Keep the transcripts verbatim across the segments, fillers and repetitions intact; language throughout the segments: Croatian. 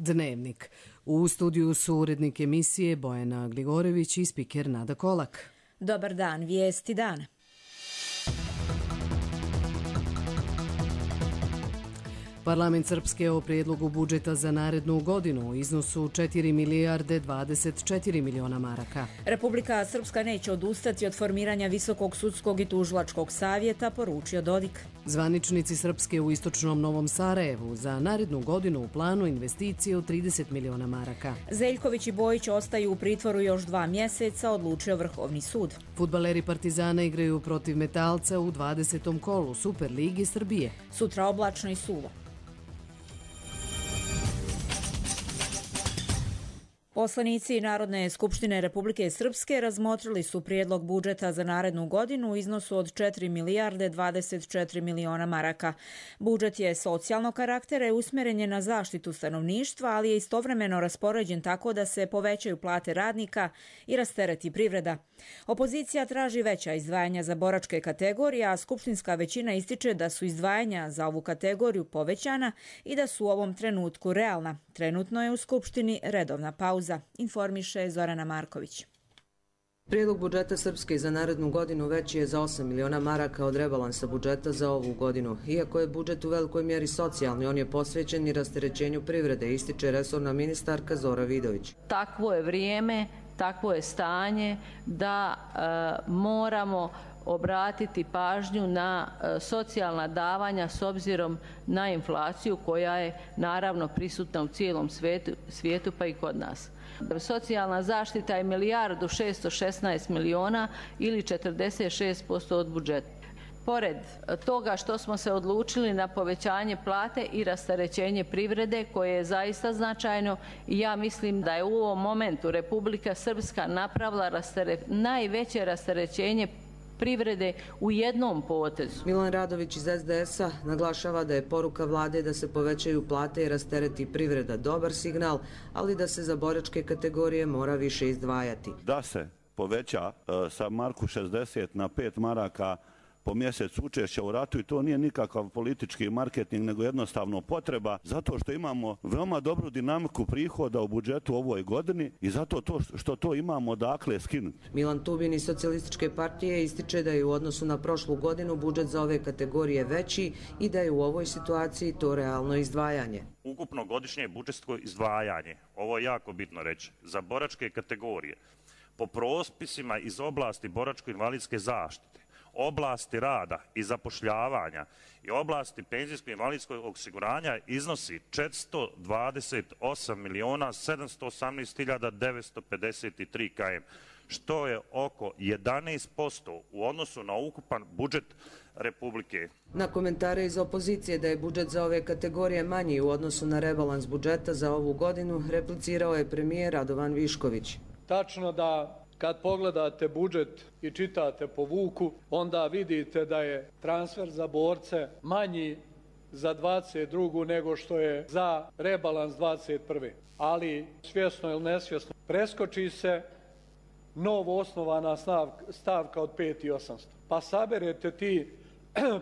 Dnevnik. U studiju su urednik emisije Bojana Gligorević i spiker Nada Kolak. Dobar dan, vijesti dana. Parlament Srpske o prijedlogu budžeta za narednu godinu u iznosu četiri milijarde dvadeset četiri miliona maraka. Republika Srpska neće odustati od formiranja Visokog sudskog i tužilačkog savjeta, poručio Dodik. Zvaničnici Srpske u istočnom Novom Sarajevu za narednu godinu u planu investicije od trideset miliona maraka. Zeljković i Bojić ostaju u pritvoru još dva mjeseca, odlučio Vrhovni sud. Fudbaleri Partizana igraju protiv Metalca u dvadesetom kolu Superligi Srbije. Sutra oblačno i suvo. Poslanici Narodne skupštine Republike Srpske razmotrili su prijedlog budžeta za narednu godinu u iznosu od četiri milijarde dvadeset četiri miliona maraka. Budžet je socijalnog karaktera i usmjeren je na zaštitu stanovništva, ali je istovremeno raspoređen tako da se povećaju plate radnika i rastereti privreda. Opozicija traži veća izdvajanja za boračke kategorije, a skupštinska većina ističe da su izdvajanja za ovu kategoriju povećana i da su u ovom trenutku realna. Trenutno je u Skupštini redovna pauza, informiše Zorana Marković. Prijedlog budžeta Srpske za narednu godinu veći je za osam miliona maraka od rebalansa budžeta za ovu godinu. Iako je budžet u velikoj mjeri socijalni, on je posvećen i rasterećenju privrede, ističe resorna ministarka Zora Vidović. Takvo je vrijeme, takvo je stanje da e, moramo obratiti pažnju na e, socijalna davanja s obzirom na inflaciju koja je naravno prisutna u cijelom svijetu, svijetu pa i kod nas. Socijalna zaštita je milijardu šesto šesnaest miliona ili četrdeset šest posto od budžeta. Pored toga što smo se odlučili na povećanje plate i rasterećenje privrede koje je zaista značajno, ja mislim da je u ovom momentu Republika Srpska napravila rastere, najveće rasterećenje privrede u jednom potezu. Milan Radović iz es de es a naglašava da je poruka vlade da se povećaju plate i rastereti privreda dobar signal, ali da se za boračke kategorije mora više izdvajati. Da se poveća uh, sa marku šezdeset na pet maraka po mjesec učešća u ratu i to nije nikakav politički marketing, nego jednostavno potreba, zato što imamo veoma dobru dinamiku prihoda u budžetu u ovoj godini i zato to što to imamo dakle skinuti. Milan Tubin iz Socijalističke partije ističe da je u odnosu na prošlu godinu budžet za ove kategorije veći i da je u ovoj situaciji to realno izdvajanje. Ukupno godišnje budžetsko izdvajanje, ovo je jako bitno reći, za boračke kategorije, po propisima iz oblasti boračko-invalidske zaštite, oblasti rada i zapošljavanja i oblasti penzijskog i invalidskog osiguranja iznosi četiristo dvadeset osam miliona sedamsto osamnaest hiljada devetsto pedeset tri km, što je oko jedanaest posto u odnosu na ukupan budžet Republike. Na komentare iz opozicije da je budžet za ove kategorije manji u odnosu na rebalans budžeta za ovu godinu, replicirao je premijer Radovan Višković. Tačno da kad pogledate budžet i čitate po vuku, onda vidite da je transfer za borce manji za dvadeset drugu nego što je za rebalans dvadeset prve. Ali svjesno ili nesvjesno preskoči se novo osnovana stavka od pet i osamsto. Pa saberete ti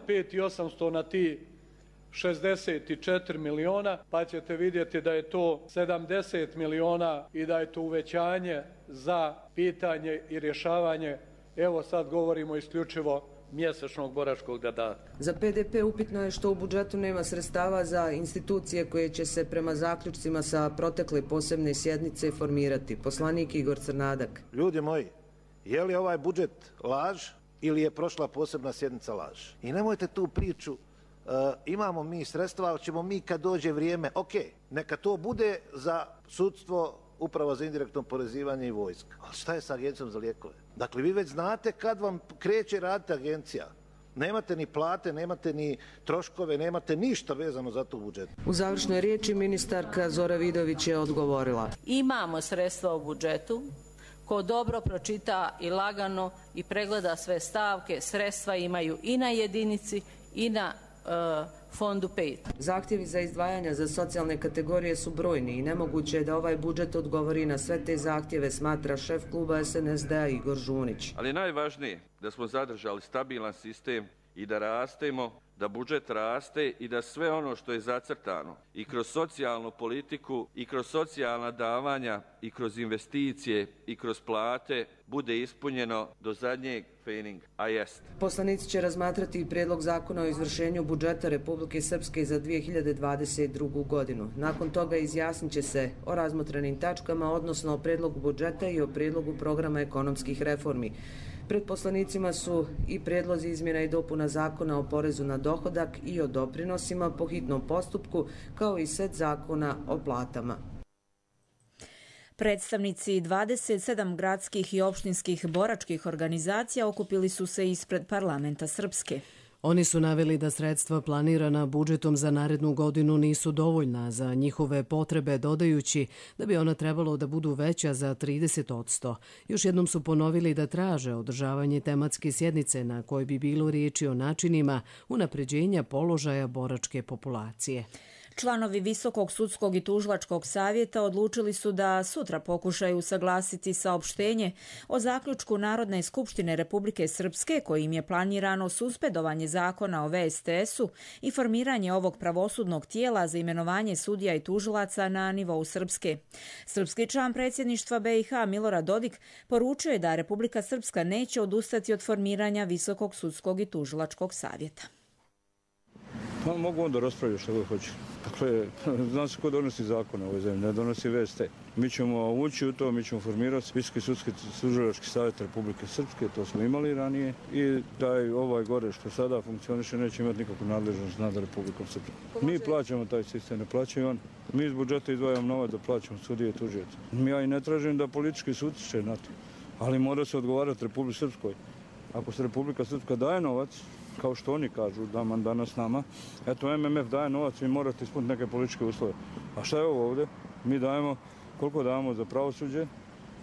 pet i osamsto na ti šezdeset četiri miliona, pa ćete vidjeti da je to sedamdeset miliona i da je to uvećanje za pitanje i rješavanje, evo sad govorimo isključivo mjesečnog boračkog dodatka. Za pe de pe upitno je što u budžetu nema sredstava za institucije koje će se prema zaključcima sa protekle posebne sjednice formirati. Poslanik Igor Crnadak. Ljudi moji, je li ovaj budžet laž ili je prošla posebna sjednica laž? I nemojte tu priču, uh, imamo mi sredstva, ali ćemo mi kad dođe vrijeme, ok, neka to bude za sudstvo, uprava za indirektno porezivanje i vojska. Ali šta je sa agencijom za lijekove? Dakle, vi već znate kad vam kreće raditi agencija. Nemate ni plate, nemate ni troškove, nemate ništa vezano za to u budžetu. U završnoj riječi ministarka Zora Vidović je odgovorila. Imamo sredstva u budžetu. Ko dobro pročita i lagano i pregleda sve stavke, sredstva imaju i na jedinici i na uh, fondu pet. Zahtjevi za izdvajanja za socijalne kategorije su brojni i nemoguće je da ovaj budžet odgovori na sve te zahtjeve, smatra šef kluba es en es de a Igor Žunić. Ali najvažnije da smo zadržali stabilan sistem i da rastemo da budžet raste i da sve ono što je zacrtano i kroz socijalnu politiku i kroz socijalna davanja i kroz investicije i kroz plate bude ispunjeno do zadnjeg pfeninga, a jest. Poslanici će razmatrati i prijedlog zakona o izvršenju budžeta Republike Srpske za dvije hiljade dvadeset drugu. godinu. Nakon toga izjasnit će se o razmotrenim tačkama, odnosno o prijedlogu budžeta i o prijedlogu programa ekonomskih reformi. Pred poslanicima su i prijedlozi izmjena i dopuna zakona o porezu na dohodak i o doprinosima po hitnom postupku, kao i set zakona o platama. Predstavnici dvadeset sedam gradskih i opštinskih boračkih organizacija okupili su se ispred parlamenta Srpske. Oni su naveli da sredstva planirana budžetom za narednu godinu nisu dovoljna za njihove potrebe, dodajući da bi ona trebalo da budu veća za trideset posto. Još jednom su ponovili da traže održavanje tematske sjednice na kojoj bi bilo riječi o načinima unapređenja položaja boračke populacije. Članovi Visokog sudskog i tužilačkog savjeta odlučili su da sutra pokušaju usaglasiti saopštenje o zaključku Narodne skupštine Republike Srpske kojim je planirano suspendovanje zakona o V S T S-u i formiranje ovog pravosudnog tijela za imenovanje sudija i tužilaca na nivou Srpske. Srpski član predsjedništva B i H Milorad Dodik poručuje da Republika Srpska neće odustati od formiranja Visokog sudskog i tužilačkog savjeta. Pa mogu onda raspraviti što god hoće. Dakle, zna se ko donosi zakone u ovoj zemlji, ne donosi V S T. Mi ćemo ući u to, mi ćemo formirati Visoki sudski tužilački savjet Republike Srpske, to smo imali ranije, i taj ovaj gore što sada funkcioniše neće imati nikakvu nadležnost nad Republikom Srpskom. Mi plaćamo taj sistem, ne plaćaju on. Mi iz budžeta izdvajamo novac da plaćamo sudije i tužioce. Ja i ne tražim da politički sud će na to, ali mora se odgovarati Republike Srpskoj. Ako se Republika Srpska daje novac, kao što oni kažu da danas nama, eto M M F daje novac, vi morate ispuniti neke političke uslove. A šta je ovo ovdje? Mi dajemo, koliko dajemo za pravosuđe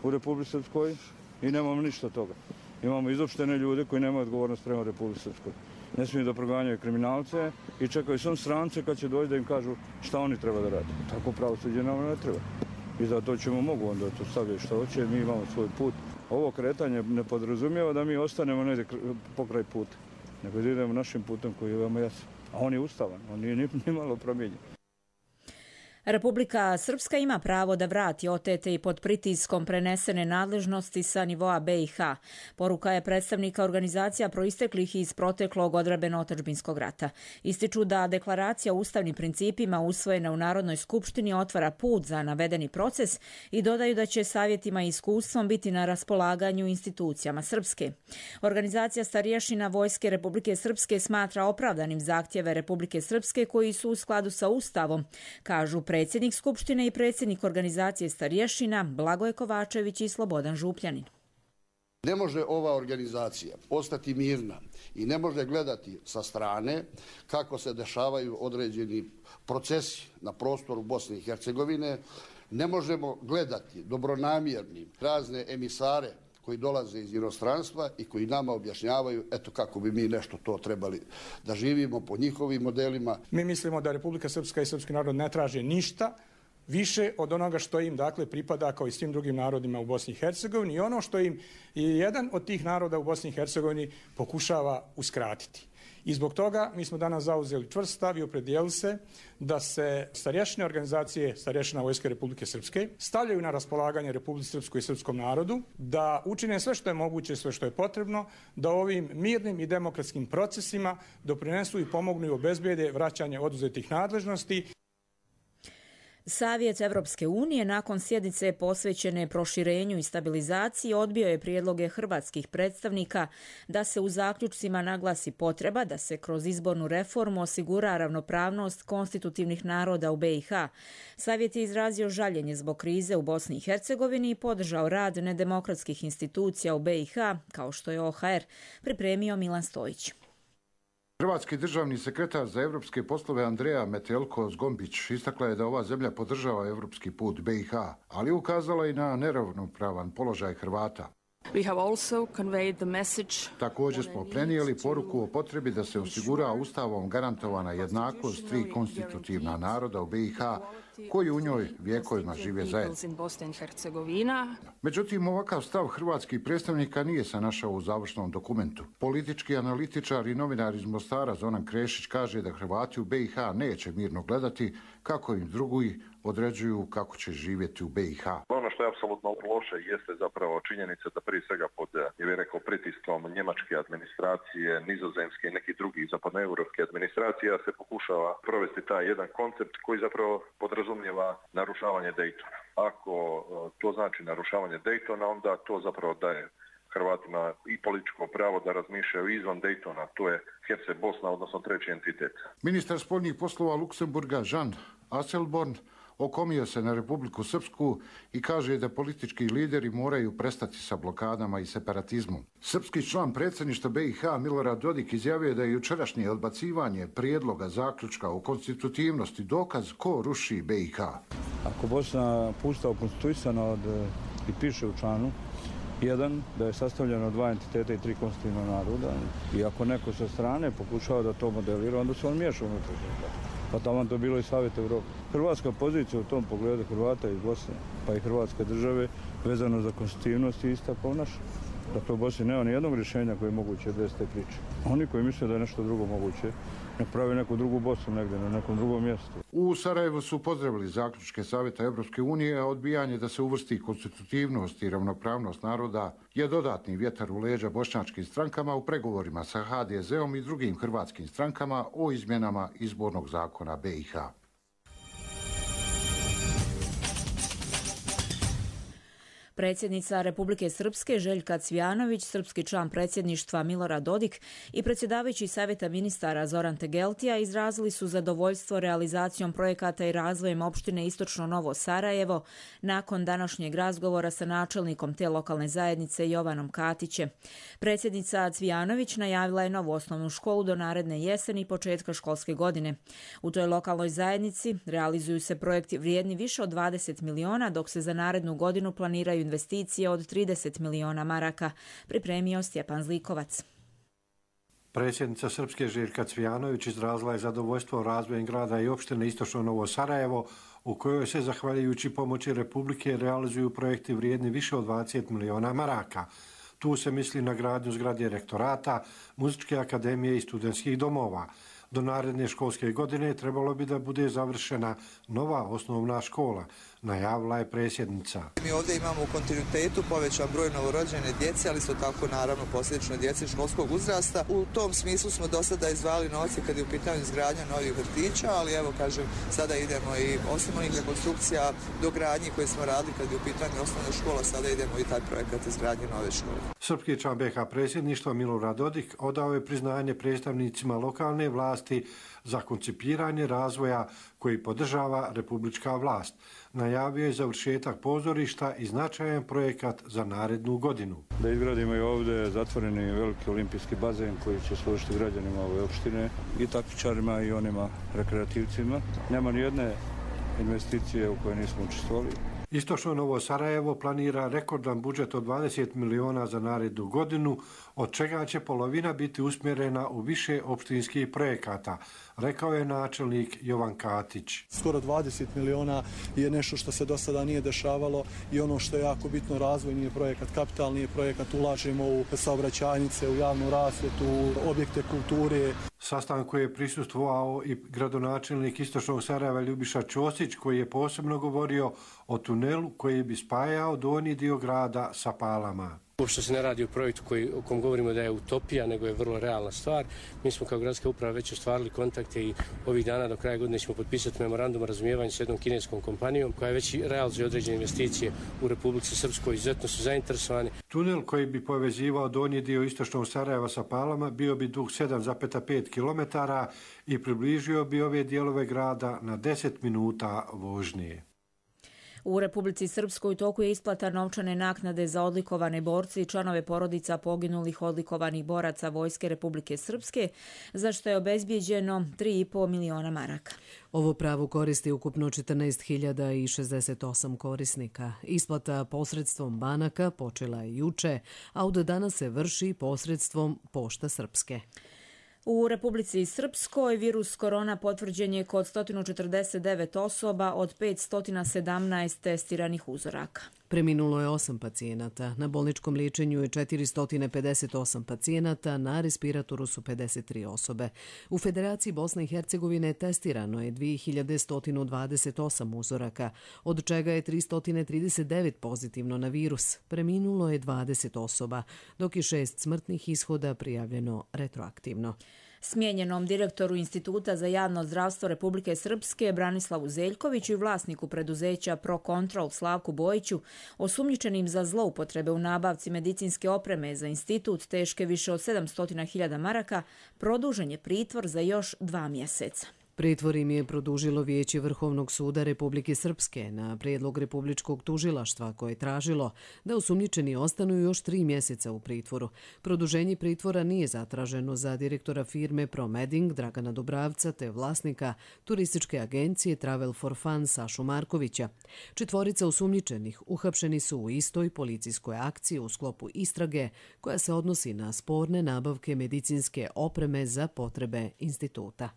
u Republici Srpskoj i nemamo ništa od toga. Imamo izopštene ljude koji nemaju odgovornost prema Republici Srpskoj. Ne smiju da proganjaju kriminalce i čekaju sam strance kad će doći da im kažu šta oni treba da rade. Tako pravosuđe nam ne treba. I zato ćemo mogu onda to staviti što hoće, mi imamo svoj put. Ovo kretanje ne podrazumijeva da mi ostanemo negdje pokraj puta, nego da idemo našim putem koji je veoma jasan. A on je ustavan, on nije ni malo promijenjen. Republika Srpska ima pravo da vrati otete i pod pritiskom prenesene nadležnosti sa nivoa B i H. Poruka je predstavnika organizacija proisteklih iz proteklog odbrambeno-otadžbinskog rata. Ističu da deklaracija o ustavnim principima usvojena u Narodnoj skupštini otvara put za navedeni proces i dodaju da će savjetima i iskustvom biti na raspolaganju institucijama Srpske. Organizacija starješina Vojske Republike Srpske smatra opravdanim zahtjeve Republike Srpske koji su u skladu sa Ustavom, kažu predsjednik Skupštine i predsjednik organizacije starješina Blagoje Kovačević i Slobodan Župljanin. Ne može ova organizacija ostati mirna i ne može gledati sa strane kako se dešavaju određeni procesi na prostoru Bosne i Hercegovine. Ne možemo gledati dobronamjernim razne emisare koji dolaze iz inostranstva i koji nama objašnjavaju eto kako bi mi nešto to trebali da živimo po njihovim modelima. Mi mislimo da Republika Srpska i srpski narod ne traže ništa više od onoga što im dakle pripada kao i svim drugim narodima u Bosni i Hercegovini i ono što im i jedan od tih naroda u Bosni i Hercegovini pokušava uskratiti. I zbog toga mi smo danas zauzeli čvrst stav i opredijeli se da se starješine organizacije starješina Vojske Republike Srpske stavljaju na raspolaganje Republici Srpskoj i srpskom narodu, da učine sve što je moguće, sve što je potrebno, da ovim mirnim i demokratskim procesima doprinesu i pomognu i obezbede vraćanje oduzetih nadležnosti. Savjet Evropske unije nakon sjednice posvećene proširenju i stabilizaciji odbio je prijedloge hrvatskih predstavnika da se u zaključcima naglasi potreba da se kroz izbornu reformu osigura ravnopravnost konstitutivnih naroda u B i H. Savjet je izrazio žaljenje zbog krize u Bosni i Hercegovini i podržao rad nedemokratskih institucija u B i H, kao što je O H R pripremio Milan Stojić. Hrvatski državni sekretar za evropske poslove Andreja Metelko-Zgombić istakla je da ova zemlja podržava evropski put B i H, ali ukazala i na neravnopravan položaj Hrvata. Također smo prenijeli poruku o potrebi da se osigura ustavom garantovana jednakost tri konstitutivna naroda u B i H, koji u njoj vjekovima žive zajedno. Međutim, ovakav stav hrvatskih predstavnika nije se našao u završnom dokumentu. Politički analitičar i novinar iz Mostara Zoran Krešić kaže da Hrvati u B i H neće mirno gledati kako im drugi određuju kako će živjeti u B i H. Ono što je apsolutno loše jeste zapravo činjenica da prije svega pod, je bih rekao, pritiskom njemačke administracije, nizozemske i nekih drugih zapadnoevropske administracija se pokušava provesti taj jedan koncept koji zapravo podrazumijeva narušavanje Daytona. Ako to znači narušavanje Daytona, onda to zapravo daje Hrvatima i političko pravo da razmišljaju izvan Daytona, to je Herceg Bosna, odnosno treći entitet. Ministar spoljnih poslova Luksemburga Jean Asselborn okomio se na Republiku Srpsku i kaže da politički lideri moraju prestati sa blokadama i separatizmom. Srpski član predsjedništva B i H Milorad Dodik izjavio da je jučerašnje odbacivanje prijedloga zaključka o konstitutivnosti dokaz ko ruši B i H. Ako Bosna pustao konstituisana od, i piše u članu jedan, da je sastavljeno od dva entiteta i tri konstitutivna naroda, i ako neko sa strane pokušava da to modelira, onda se on miješa unutra. Pa tamo to bilo i Savjet Evrope. Hrvatska pozicija u tom pogledu Hrvata iz Bosne, pa i Hrvatske države, vezano za konstitutivnost je ista kao naša. Dakle, u Bosni nema ni jednog rješenja koje je moguće bez te priče. Oni koji misle da je nešto drugo moguće, nek pravi neku drugu Bosnu negdje, na nekom drugom mjestu. U Sarajevu su pozdravili zaključke Savjeta Evropske unije, a odbijanje da se uvrsti konstitutivnost i ravnopravnost naroda je dodatni vjetar u leđa bošnjačkim strankama u pregovorima sa H D Z-om i drugim hrvatskim strankama o izmjenama izbornog zakona B i H. Predsjednica Republike Srpske Željka Cvijanović, srpski član predsjedništva Milorad Dodik i predsjedavajući Savjeta ministara Zoran Tegeltija izrazili su zadovoljstvo realizacijom projekata i razvojem opštine Istočno Novo Sarajevo nakon današnjeg razgovora sa načelnikom te lokalne zajednice Jovanom Katićem. Predsjednica Cvijanović najavila je novu osnovnu školu do naredne jeseni i početka školske godine. U toj lokalnoj zajednici realizuju se projekti vrijedni više od dvadeset miliona, dok se za narednu godinu planiraju investicije od trideset miliona maraka, pripremio Stjepan Zlikovac. Predsjednica Srpske Željka Cvijanović izrazila je zadovoljstvo razvojem grada i opštine Istočno Novo Sarajevo, u kojoj se, zahvaljujući pomoći Republike, realizuju projekti vrijedni više od dvadeset miliona maraka. Tu se misli na gradnju zgrade rektorata, muzičke akademije i studentskih domova. Do naredne školske godine trebalo bi da bude završena nova osnovna škola, najavila je predsjednica. Mi ovdje imamo u kontinuitetu povećan broj novorođene djece, ali su tako naravno posljedično djece školskog uzrasta. U tom smislu smo do sada izdvajali novce kad je u pitanju izgradnja novih vrtića, ali evo kažem, sada idemo i osim onih rekonstrukcija do gradnji koje smo radili kad je u pitanju osnovna škola, sada idemo i taj projekat izgradnje nove škole. Srpski član B i H predsjedništva Milorad Dodik odao je priznanje predstavnicima lokalne vlasti za koncipiranje razvoja koji podržava republička vlast. Najavio je završetak pozorišta i značajan projekat za narednu godinu. Da izgradimo i ovdje zatvoreni veliki olimpijski bazen koji će služiti građanima ove opštine i takmičarima i onima rekreativcima. Nema ni jedne investicije u kojoj nismo učestvovali. Istočno Novo Sarajevo planira rekordan budžet od dvadeset miliona za narednu godinu, od čega će polovina biti usmjerena u više opštinskih projekata, rekao je načelnik Jovan Katić. Skoro dvadeset miliona je nešto što se do sada nije dešavalo i ono što je jako bitno, razvojni je projekat, kapitalni je projekat, ulažemo u saobraćajnice, u javnu rasvjetu, u objekte kulture. Sastanku je prisustvovao i gradonačelnik Istočnog Sarajeva Ljubiša Ćosić, koji je posebno govorio o tunelu koji bi spajao donji dio grada sa Palama. Uopšte se ne radi o projektu koji, o kom govorimo da je utopija, nego je vrlo realna stvar. Mi smo kao gradska uprava već ostvarili kontakte i ovih dana do kraja godine ćemo potpisati memorandum o razumijevanju s jednom kineskom kompanijom koja već realizuje određene investicije u Republici Srpskoj. Izuzetno su zainteresovani. Tunel koji bi povezivao donji dio Istočnog Sarajeva sa Palama bio bi dug sedam zarez pet kilometara i približio bi ove dijelove grada na deset minuta vožnje. U Republici Srpskoj u toku je isplata novčane naknade za odlikovane borce i članove porodica poginulih odlikovanih boraca Vojske Republike Srpske, za što je obezbijeđeno tri i po miliona maraka. Ovo pravo koristi ukupno četrnaest hiljada šezdeset osam korisnika. Isplata posredstvom banaka počela je juče, a od danas se vrši posredstvom Pošta Srpske. U Republici Srpskoj virus korona potvrđen je kod sto četrdeset devet osoba od petsto sedamnaest testiranih uzoraka. Preminulo je osam pacijenata, na bolničkom liječenju je četiristo pedeset osam pacijenata, na respiratoru su pedeset tri osobe. U Federaciji Bosne i Hercegovine testirano je dvije hiljade sto dvadeset osam uzoraka, od čega je tristo trideset devet pozitivno na virus. Preminulo je dvadeset osoba, dok je šest smrtnih ishoda prijavljeno retroaktivno. Smijenjenom direktoru Instituta za javno zdravstvo Republike Srpske Branislavu Zeljkoviću i vlasniku preduzeća ProControl Slavku Bojiću, osumnjičenim za zloupotrebe u nabavci medicinske opreme za institut teške više od sedamsto hiljada maraka, produžen je pritvor za još dva mjeseca. Pritvor im je produžilo Vijeće Vrhovnog suda Republike Srpske na prijedlog Republičkog tužilaštva koje je tražilo da osumnjičeni ostanu još tri mjeseca u pritvoru. Produženje pritvora nije zatraženo za direktora firme ProMeding Dragana Dubravca te vlasnika turističke agencije Travel for Fun Sašu Markovića. Četvorica osumnjičenih uhapšeni su u istoj policijskoj akciji u sklopu istrage koja se odnosi na sporne nabavke medicinske opreme za potrebe instituta.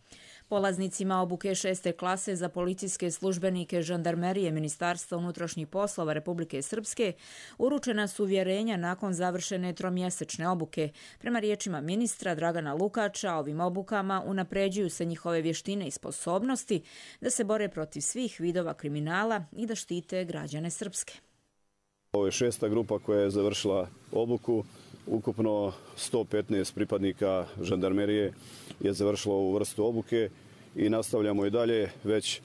Polaznicima obuke šeste klase za policijske službenike žandarmerije Ministarstva unutrašnjih poslova Republike Srpske uručena su uvjerenja nakon završene tromjesečne obuke. Prema riječima ministra Dragana Lukača, ovim obukama unapređuju se njihove vještine i sposobnosti da se bore protiv svih vidova kriminala i da štite građane Srpske. Ovo je šesta grupa koja je završila obuku. Ukupno sto petnaest pripadnika žandarmerije je završilo ovu vrstu obuke i nastavljamo i dalje. Već e,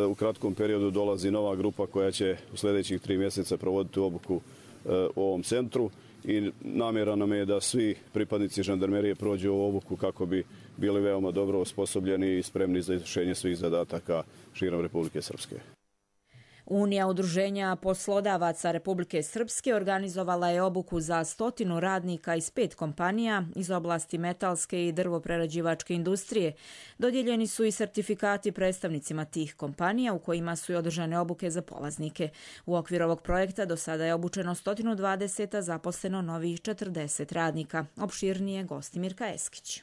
u kratkom periodu dolazi nova grupa koja će u sljedećih tri mjeseca provoditi obuku e, u ovom centru i namjera nam je da svi pripadnici žandarmerije prođu ovu obuku kako bi bili veoma dobro osposobljeni i spremni za izvršenje svih zadataka širom Republike Srpske. Unija udruženja poslodavaca Republike Srpske organizovala je obuku za stotinu radnika iz pet kompanija iz oblasti metalske i drvoprerađivačke industrije. Dodijeljeni su i sertifikati predstavnicima tih kompanija u kojima su i održane obuke za polaznike. U okviru ovog projekta do sada je obučeno sto dvadeset, a zaposleno novih četrdeset radnika. Opširnije Gostimirka Eskić.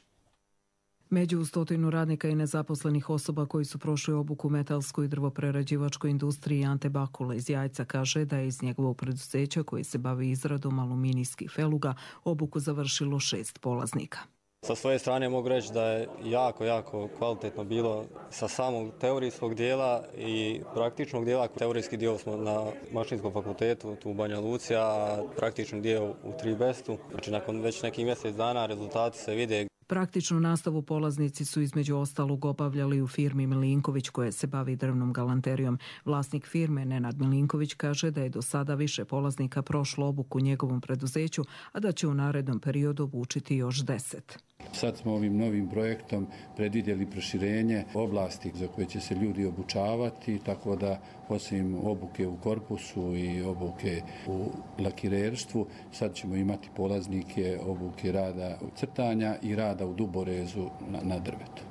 Među stotinu radnika i nezaposlenih osoba koji su prošli obuku u metalskoj i drvoprerađivačkoj industriji Ante Bakula iz Jajca kaže da je iz njegovog preduzeća koji se bavi izradom aluminijskih feluga obuku završilo šest polaznika. Sa svoje strane mogu reći da je jako, jako kvalitetno bilo sa samog teorijskog dijela i praktičnog dijela. Teorijski dio smo na Mašinskom fakultetu tu u Banja Luci, a praktični dio u Tribestu. Znači nakon već nekih mjesec dana rezultati se vide. Praktičnu nastavu polaznici su između ostalog obavljali u firmi Milinković koja se bavi drvnom galanterijom. Vlasnik firme Nenad Milinković kaže da je do sada više polaznika prošlo obuku u njegovom preduzeću, a da će u narednom periodu obučiti još deset. Sad smo ovim novim projektom predvidjeli proširenje oblasti za koje će se ljudi obučavati, tako da osim obuke u korpusu i obuke u lakirerstvu, sad ćemo imati polaznike obuke rada u crtanja i rada u duborezu na, na drvetu.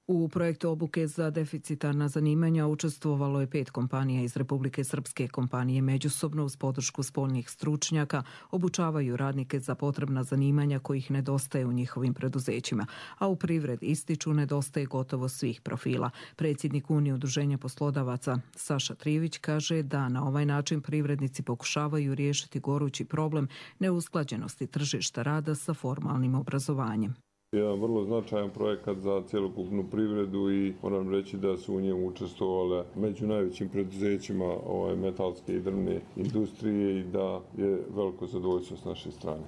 U projektu obuke za deficitarna zanimanja učestvovalo je pet kompanija iz Republike Srpske. Kompanije međusobno uz podršku spoljnih stručnjaka obučavaju radnike za potrebna zanimanja kojih nedostaje u njihovim preduzećima, a u privredi ističu nedostaje gotovo svih profila. Predsjednik Unije udruženja poslodavaca Saša Trivić kaže da na ovaj način privrednici pokušavaju riješiti gorući problem neusklađenosti tržišta rada sa formalnim obrazovanjem. Jedan vrlo značajan projekat za cjelokupnu privredu i moram reći da su u njemu učestvovale među najvećim preduzećima ovaj, metalske i drvne industrije i da je veliko zadovoljstvo s naše strane.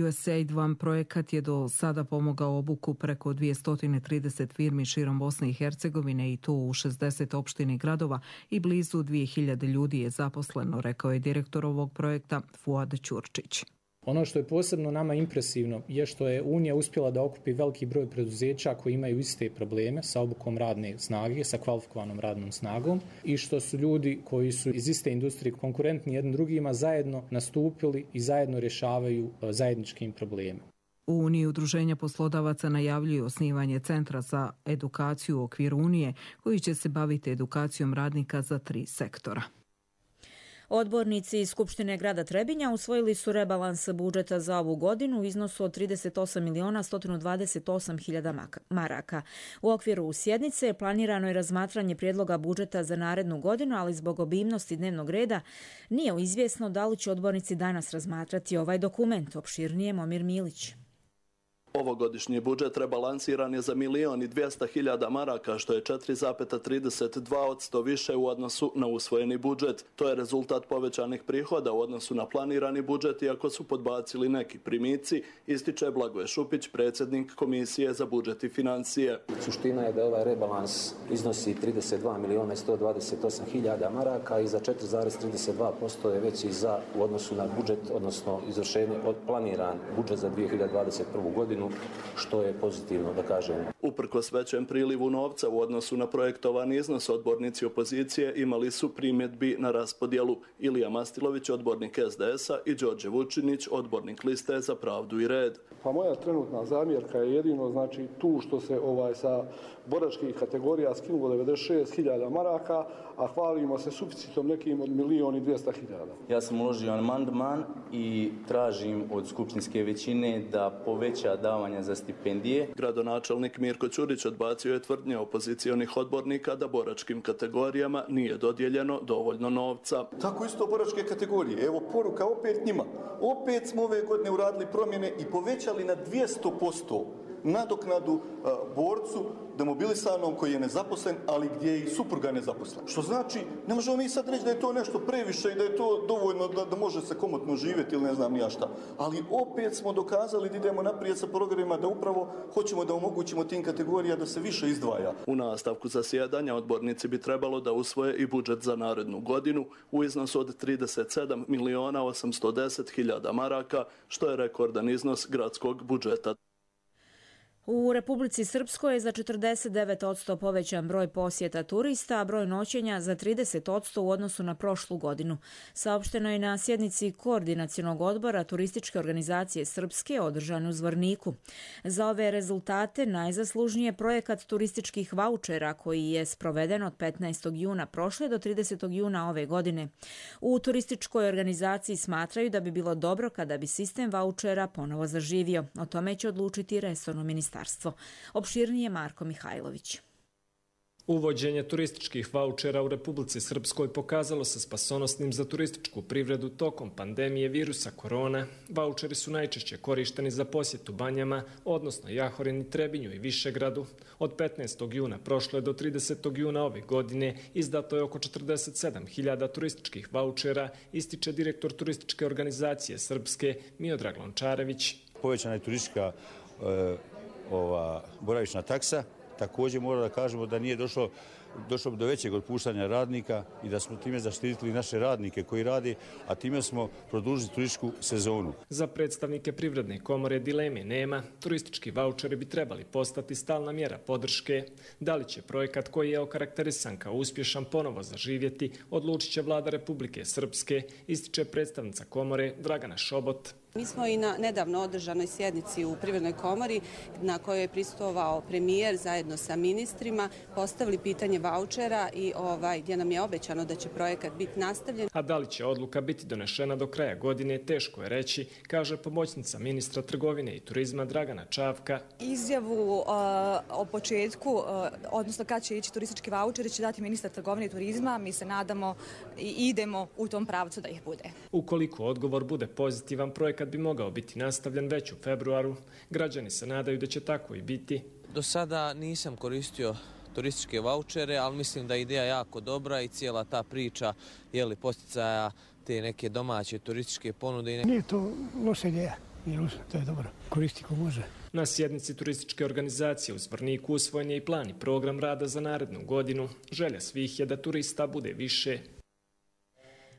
U S A I D One projekat je do sada pomogao obuku preko dvjesto trideset firmi širom Bosne i Hercegovine i to u šezdeset opština i gradova i blizu dvije hiljade ljudi je zaposleno, rekao je direktor ovog projekta Fuad Ćurčić. Ono što je posebno nama impresivno je što je Unija uspjela da okupi veliki broj preduzeća koji imaju iste probleme sa obukom radne snage, sa kvalifikovanom radnom snagom i što su ljudi koji su iz iste industrije konkurentni jednim drugima zajedno nastupili i zajedno rješavaju zajedničkim probleme. U Uniji udruženja poslodavaca najavljuju osnivanje centra za edukaciju u okviru Unije koji će se baviti edukacijom radnika za tri sektora. Odbornici iz Skupštine grada Trebinja usvojili su rebalans budžeta za ovu godinu u iznosu od trideset osam miliona sto dvadeset osam hiljada maraka. U okviru sjednice planirano je razmatranje prijedloga budžeta za narednu godinu, ali zbog obimnosti dnevnog reda nije izvjesno da li će odbornici danas razmatrati ovaj dokument. Opširnije Momir Milić. Ovogodišnji budžet rebalansiran je za milion i dvjesto hiljada maraka, što je četiri zarez trideset dva posto više u odnosu na usvojeni budžet. To je rezultat povećanih prihoda u odnosu na planirani budžet, iako su podbacili neki primici, ističe Blagoje Šupić, predsjednik Komisije za budžet i financije. Suština je da ovaj rebalans iznosi trideset dva miliona sto dvadeset osam hiljada maraka i za četiri zarez trideset dva posto je veći za u odnosu na budžet, odnosno izvršenje od planiran budžet za dvije hiljade dvadeset prvu godinu, što je pozitivno, da kažem. Uprkos većem prilivu novca u odnosu na projektovani iznos, odbornici opozicije imali su primjedbi na raspodjelu. Ilija Mastilović, odbornik es de es a, i Đorđe Vučinić, odbornik Liste za pravdu i red. Pa moja trenutna zamjerka je jedino znači tu što se ovaj sa boračkih kategorija skinulo devedeset šest hiljada maraka, a hvalimo se suficitom nekim od milion i dvjesto hiljada. Ja sam uložio amandman i tražim od skupštinske većine da poveća davanja za stipendije. Gradonačelnik Mirko Ćurić odbacio je tvrdnje opozicionih odbornika da boračkim kategorijama nije dodijeljeno dovoljno novca. Tako isto boračke kategorije. Evo poruka opet njima. Opet smo ove godine uradili promjene i povećali na dvjesto posto nadoknadu a, borcu demobilisanom koji je nezaposlen, ali gdje je i supruga nezaposlen. Što znači, ne možemo mi sad reći da je to nešto previše i da je to dovoljno da, da može se komotno živjeti ili ne znam nija šta. Ali opet smo dokazali da idemo naprijed sa programima, da upravo hoćemo da omogućimo tim kategorijama da se više izdvaja. U nastavku zasjedanja odbornici bi trebalo da usvoje i budžet za narednu godinu u iznosu od trideset sedam miliona osamsto deset hiljada maraka, što je rekordan iznos gradskog budžeta. U Republici Srpskoj je za četrdeset devet posto povećan broj posjeta turista, a broj noćenja za trideset posto u odnosu na prošlu godinu. Saopšteno je na sjednici Koordinacionog odbora Turističke organizacije Srpske održane u Zvorniku. Za ove rezultate najzaslužnije projekat turističkih vaučera koji je sproveden od petnaestog juna prošle do tridesetog juna ove godine. U turističkoj organizaciji smatraju da bi bilo dobro kada bi sistem vaučera ponovo zaživio. O tome će odlučiti resorno ministarstvo. Opširnije Marko Mihajlović. Uvođenje turističkih vaučera u Republici Srpskoj pokazalo se spasonosnim za turističku privredu tokom pandemije virusa korona. Vaučeri su najčešće korišteni za posjetu banjama, odnosno Jahorini, Trebinju i Višegradu. Od petnaestog juna prošle do tridesetog juna ove godine izdato je oko četrdeset sedam hiljada turističkih vaučera, ističe direktor turističke organizacije Srpske Miodrag Lončarević. Povećana je turistička e, ova boravišna taksa. Također mora da kažemo da nije došlo, došlo do većeg otpuštanja radnika i da smo time zaštitili naše radnike koji rade, a time smo produžili turističku sezonu. Za predstavnike Privredne komore dileme nema. Turistički vaučeri bi trebali postati stalna mjera podrške. Da li će projekat koji je okarakterisan kao uspješan ponovo zaživjeti, odlučit će vlada Republike Srpske, ističe predstavnica komore Dragana Šobot. Mi smo i na nedavno održanoj sjednici u Privrednoj komori na kojoj je prisustvovao premijer zajedno sa ministrima postavili pitanje vaučera i ovaj, gdje nam je obećano da će projekat biti nastavljen. A da li će odluka biti donešena do kraja godine, teško je reći, kaže pomoćnica ministra trgovine i turizma Dragana Čavka. Izjavu uh, o početku, uh, odnosno kad će ići turistički vaučeri, će dati ministar trgovine i turizma. Mi se nadamo i idemo u tom pravcu da ih bude. Ukoliko odgovor bude pozitivan, projekat bi mogao biti nastavljen već u februaru. Građani se nadaju da će tako i biti. Do sada nisam koristio turističke vaučere, ali mislim da je ideja jako dobra i cijela ta priča je li posticaja te neke domaće turističke ponude. Nije to loša ideja, to je dobro, koristi ko može. Na sjednici turističke organizacije u Zvorniku usvojen je i plan i program rada za narednu godinu. Želja svih je da turista bude više.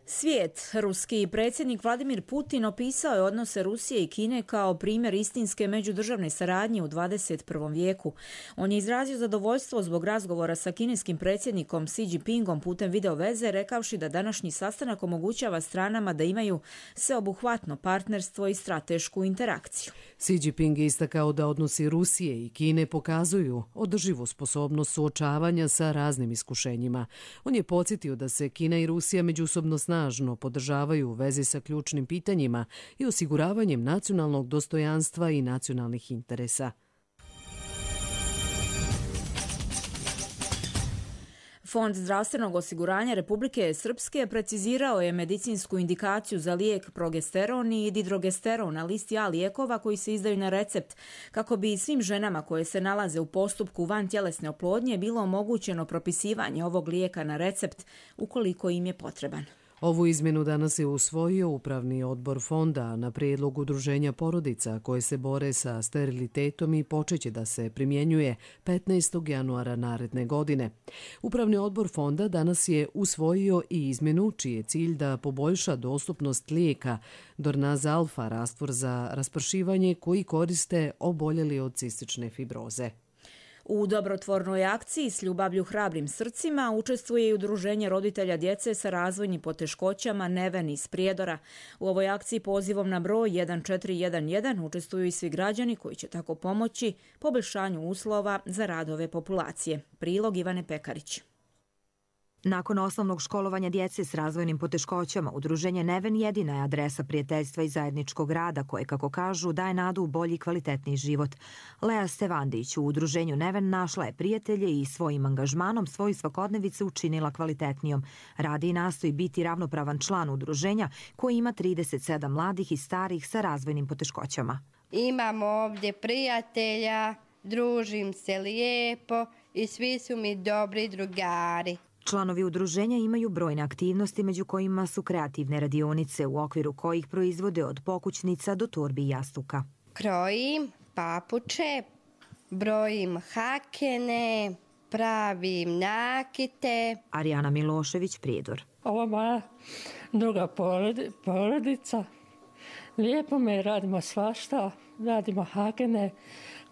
Svijet. Ruski predsjednik Vladimir Putin opisao je odnose Rusije i Kine kao primjer istinske međudržavne saradnje u dvadeset prvom vijeku. On je izrazio zadovoljstvo zbog razgovora sa kineskim predsjednikom Xi Jinpingom putem video veze, rekavši da današnji sastanak omogućava stranama da imaju sveobuhvatno partnerstvo i stratešku interakciju. Xi Jinping je istakao da odnosi Rusije i Kine pokazuju održivu sposobnost suočavanja sa raznim iskušenjima. On je podsjetio da se Kina i Rusija međusobno snažno snažno podržavaju u vezi sa ključnim pitanjima i osiguravanjem nacionalnog dostojanstva i nacionalnih interesa. Fond zdravstvenog osiguranja Republike Srpske precizirao je medicinsku indikaciju za lijek progesteron i didrogesteron na listi A lijekova koji se izdaju na recept, kako bi svim ženama koje se nalaze u postupku vantjelesne oplodnje bilo omogućeno propisivanje ovog lijeka na recept ukoliko im je potreban. Ovu izmjenu danas je usvojio Upravni odbor fonda na prijedlog Udruženja porodica koje se bore sa sterilitetom i počeće da se primjenjuje petnaestog januara naredne godine. Upravni odbor fonda danas je usvojio i izmjenu čiji je cilj da poboljša dostupnost lijeka Dornaz Alfa, rastvor za raspršivanje koji koriste oboljeli od cistične fibroze. U dobrotvornoj akciji S ljubavlju hrabrim srcima učestvuje i Udruženje roditelja djece sa razvojnim poteškoćama Neven iz Prijedora. U ovoj akciji pozivom na broj jedan četiri jedan jedan učestvuju i svi građani koji će tako pomoći poboljšanju uslova za rad ove populacije. Prilog Ivane Pekarić. Nakon osnovnog školovanja djece s razvojnim poteškoćama, Udruženje Neven jedina je adresa prijateljstva i zajedničkog rada koje, kako kažu, daje nadu u bolji i kvalitetniji život. Lea Stevandić u Udruženju Neven našla je prijatelje i svojim angažmanom svoju svakodnevicu učinila kvalitetnijom. Radi i nastoji biti ravnopravan član udruženja koji ima trideset sedam mladih i starih sa razvojnim poteškoćama. Imamo ovdje prijatelja, družim se lijepo i svi su mi dobri drugari. Članovi udruženja imaju brojne aktivnosti među kojima su kreativne radionice u okviru kojih proizvode od pokućnica do torbi i jastuka. Krojim papuče, brojim hakene, pravim nakite. Arijana Milošević, Prijedor. Ovo je moja druga porodica. Lijepo me radimo svašta, radimo hakene,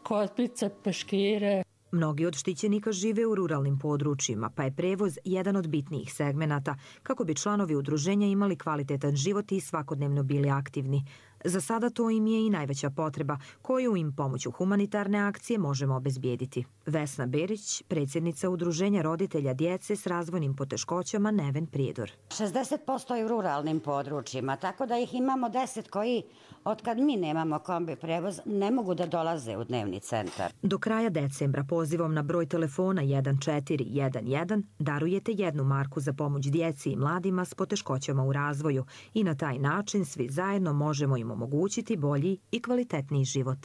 kotpice, peškire. Mnogi od štićenika žive u ruralnim područjima, pa je prevoz jedan od bitnijih segmenata kako bi članovi udruženja imali kvalitetan život i svakodnevno bili aktivni. Za sada to im je i najveća potreba koju im pomoću humanitarne akcije možemo obezbijediti. Vesna Berić, predsjednica Udruženja roditelja djece s razvojnim poteškoćama Neven Prijedor. šezdeset posto je u ruralnim područjima, tako da ih imamo deset koji, otkad mi nemamo kombi prevoz, ne mogu da dolaze u dnevni centar. Do kraja decembra pozivom na broj telefona jedan četiri jedan jedan darujete jednu marku za pomoć djeci i mladima s poteškoćama u razvoju i na taj način svi zajedno možemo im omogućiti bolji i kvalitetniji život.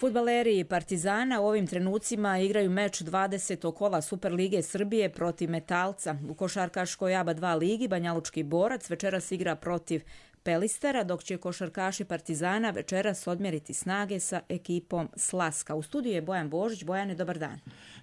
Fudbaleri Partizana u ovim trenucima igraju meč dvadesetog kola Superlige Srbije protiv Metalca. U košarkaškoj A B A dva ligi Banjalučki Borac večeras igra protiv Pelistera, dok će košarkaši Partizana večeras odmjeriti snage sa ekipom Slaska. U studiju je Bojan Božić. Bojane, dobar dan.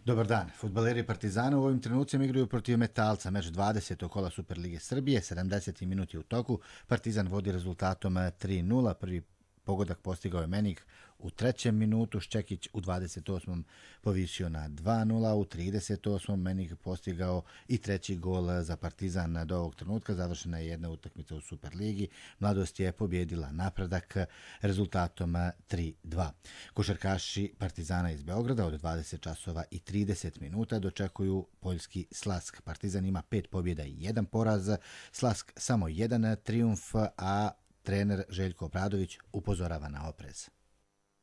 Dobar dan. Fudbaleri Partizana u ovim trenucima igraju protiv Metalca. Meč dvadesetog kola Superlige Srbije, sedamdeseti minuti u toku. Partizan vodi rezultatom tri nula. Prvi pogodak postigao je Menik u trećem minutu, Ščekić u dvadeset osmom povisio na dva nula, u trideset osmom Menik postigao i treći gol za Partizan. Do ovog trenutka završena je jedna utakmica u Superligi. Mladost je pobjedila Napredak rezultatom tri dva. Košarkaši Partizana iz Beograda od dvadeset časova i trideset minuta dočekuju poljski Slask. Partizan ima pet pobjeda i jedan poraz, Slask samo jedan trijumf, a trener Željko Obradović upozorava na oprez.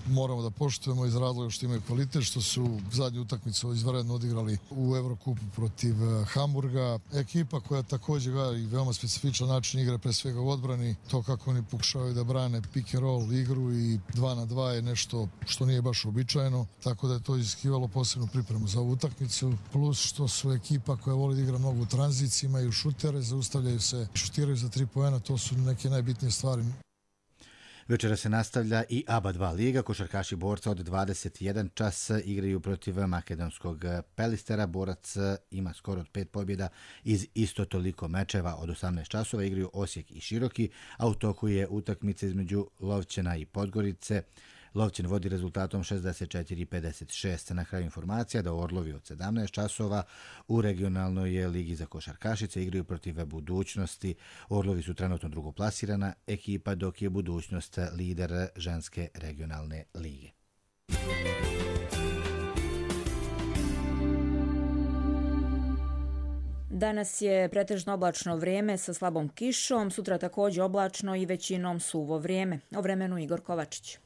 Moramo da poštujemo iz razloga što imaju kvalitet, što su zadnju utakmicu izvanredno odigrali u Evrokupu protiv Hamburga. Ekipa koja također gleda i veoma specifičan način igre, pre svega u odbrani. To kako oni pokušavaju da brane pick and roll igru i dva na dva je nešto što nije baš uobičajeno. Tako da je to iziskivalo posebnu pripremu za ovu utakmicu. Plus što su ekipa koja voli da igra mnogo u tranziciji, imaju šutere, zaustavljaju se, šutiraju za tri poena. To su neke najbitnije stvari. Večera se nastavlja i A B A dva liga. Košarkaši Borca od dvadeset jedan čas igraju protiv makedonskog Pelistera. Borac ima skoro od pet pobjeda iz isto toliko mečeva. Od osamnaest časova igraju Osijek i Široki, a u toku je utakmica između Lovćena i Podgorice. Lovćen vodi rezultatom šezdeset četiri pedeset šest. Na kraju informacija da Orlovi od sedamnaest časova u regionalnoj ligi za košarkašice igraju protiv Budućnosti. Orlovi su trenutno drugoplasirana ekipa, dok je Budućnost lider ženske regionalne lige. Danas je pretežno oblačno vrijeme sa slabom kišom, sutra također oblačno i većinom suvo vrijeme. O vremenu Igor Kovačić.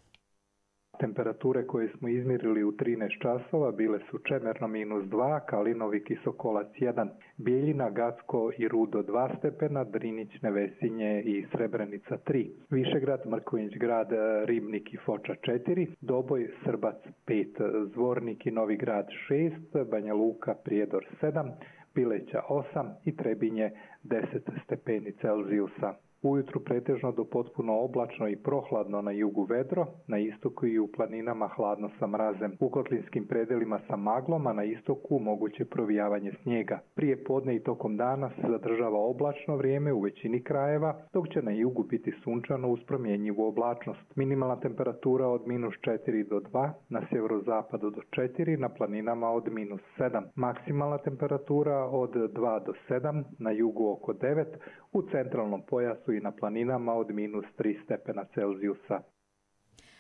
Temperature koje smo izmjerili u trinaest časova bile su Čemerno minus dva, Kalinovik i Sokolac jedan, Bijeljina, Gacko i Rudo dva stepena, Drinić, Nevesinje i Srebrenica tri, Višegrad, Mrkonjić grad, Ribnik i Foča četiri, Doboj, Srbac pet, Zvornik i Novi grad šest, Banja Luka, Prijedor sedam, Pileća osam i Trebinje deset stepeni Celzijusa. Ujutru pretežno do potpuno oblačno i prohladno na jugu vedro, na istoku i u planinama hladno sa mrazem. U kotlinskim predelima sa maglom, a na istoku moguće provijavanje snijega. Prije podne i tokom dana se zadržava oblačno vrijeme u većini krajeva, dok će na jugu biti sunčano uz promjenjivu oblačnost. Minimalna temperatura od minus četiri do dva, na sjeverozapadu do četiri, na planinama od minus sedam. Maksimalna temperatura od dva do sedam, na jugu oko devet, u centralnom pojasu i na planinama od minus tri stepena Celzijusa.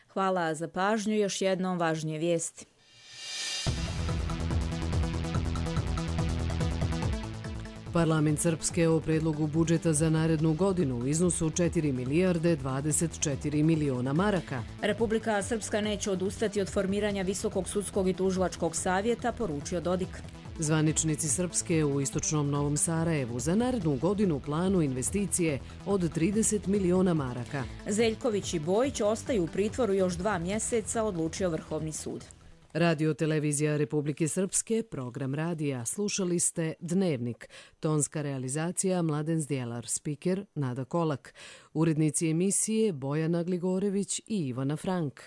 Hvala za pažnju. Još jednom važnije vijesti. Parlament Srpske o predlogu budžeta za narednu godinu u iznosu četiri milijarde dvadeset četiri miliona maraka. Republika Srpska neće odustati od formiranja Visokog sudskog i tužilačkog savjeta, poručio Dodik. Zvaničnici Srpske u istočnom Novom Sarajevu za narednu godinu u planu investicije od trideset miliona maraka. Zeljković i Bojić ostaju u pritvoru još dva mjeseca, odlučio Vrhovni sud. Radio televizija Republike Srpske, program radija. Slušali ste Dnevnik. Tonska realizacija Mladen Zdjelar, spiker Nada Kolak. Urednici emisije Bojana Gligorević i Ivana Frank.